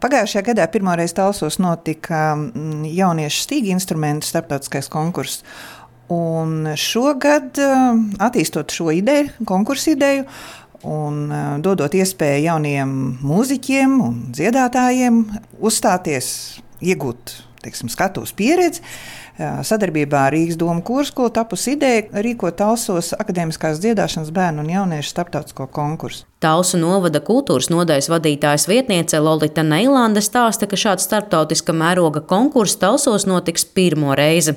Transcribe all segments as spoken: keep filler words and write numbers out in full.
Pagājušajā gadā pirmoreiz Talsos notika jauniešu stīgu instrumentu starptautiskais konkurss. Un šogad, attīstot šo ideju, konkursu ideju, un dodot iespēju jauniem mūziķiem un dziedātājiem uzstāties, iegūt, teiksim, skatuves pieredzi, sadarbībā ar Rīgas domu kūrskolu tapusi ideja rīkot Talsos akadēmiskās dziedāšanas bērnu un jauniešu starptautisko konkursu. Talsu novada kultūras nodaļas vadītājas vietniece Lolita Neilande stāsta, ka šāds starptautiska mēroga konkurss Talsos notiks pirmo reizi.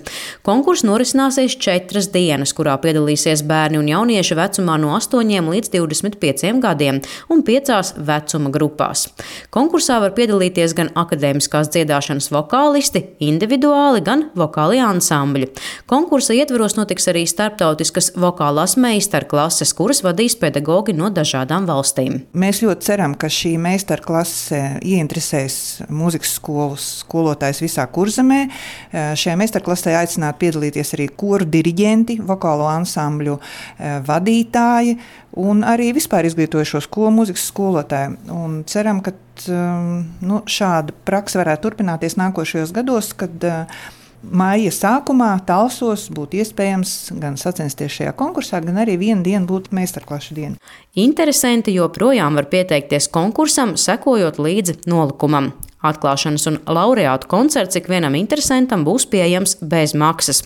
Konkurss norisināsies četras dienas, kurā piedalīsies bērni un jaunieši vecumā no astoņiem līdz divdesmit pieciem gadiem un piecās vecuma grupās. Konkursā var piedalīties gan akadēmiskās dziedāšanas vokālisti, individuāli, gan vokāli ansambļi. Konkursa ietvaros notiks arī starptautiskas vokālās meistarklases, kuras vadīs pedagogi no dažādām valstīm. Valstīm. Mēs ļoti ceram, ka šī meistarklase ieinteresēs mūzikas skolas skolotājs visā Kurzemē. Šajā meistarklasē aicināti piedalīties arī koru diriģenti, vokālo ansambļu vadītāji un arī vispār izglītojošo skolu mūzikas skolotāji. Un ceram, ka nu, šāda praksa varētu turpināties nākošajos gados, kad Maija sākumā Talsos būtu iespējams gan sacensties šajā konkursā, gan arī vienu dienu būtu meistarklašu diena. Interesanti joprojām var pieteikties konkursam, sekojot līdzi nolikumam. Atklāšanas un laureātu koncerts ikvienam interesantam būs pieejams bez maksas.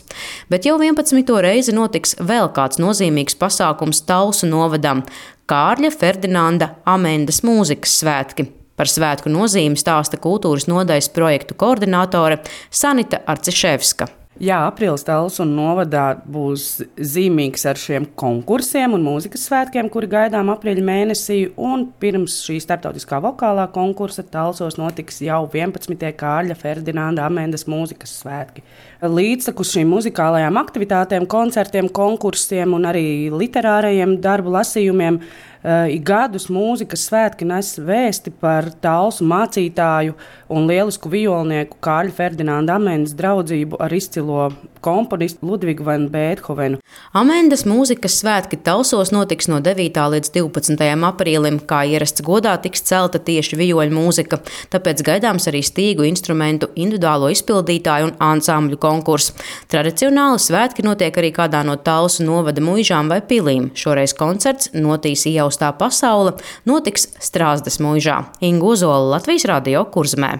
Bet jau vienpadsmito reizi notiks vēl kāds nozīmīgs pasākums Talsu novadam – Kārļa Ferdinanda Amendes mūzikas svētki. Par svētku nozīmi stāsta kultūras nodaļas projektu koordinātore Sanita Arciševska. Jā, aprīlis Talsu novadā būs zīmīgs ar šiem konkursiem un mūzikas svētkiem, kuri gaidām aprīļa mēnesī. Un pirms šī starptautiskā vokālā konkursa Talsos notiks jau vienpadsmitie Kārļa Ferdinanda Amendes mūzikas svētki. Līdztekus šīm muzikālajām aktivitātēm, koncertiem, konkursiem un arī literārajiem darbu lasījumiem ik gadus mūzikas svētki nes vēsti par Talsu mācītāju un lielisku violnieku Kārļa Ferdinanda Amendes draudzību ar izcilo komponistu Ludvigu van Beethovenu. Amendes mūzikas svētki Talsos notiks no devītā līdz divpadsmitajam aprīlim, kā ierasts godā tiks celta tieši vijoļu mūzika, tāpēc gaidāms arī stīgu instrumentu individuālo izpildītāju un ansambļu konkurss. Tradicionāli svētki notiek arī kādā no Talsu novada muižām vai pilīm. Šoreiz koncerts Notīs iejaustā pasaule notiks Strāzdas muižā. Inga Ozola, Latvijas radio, Kurzemē.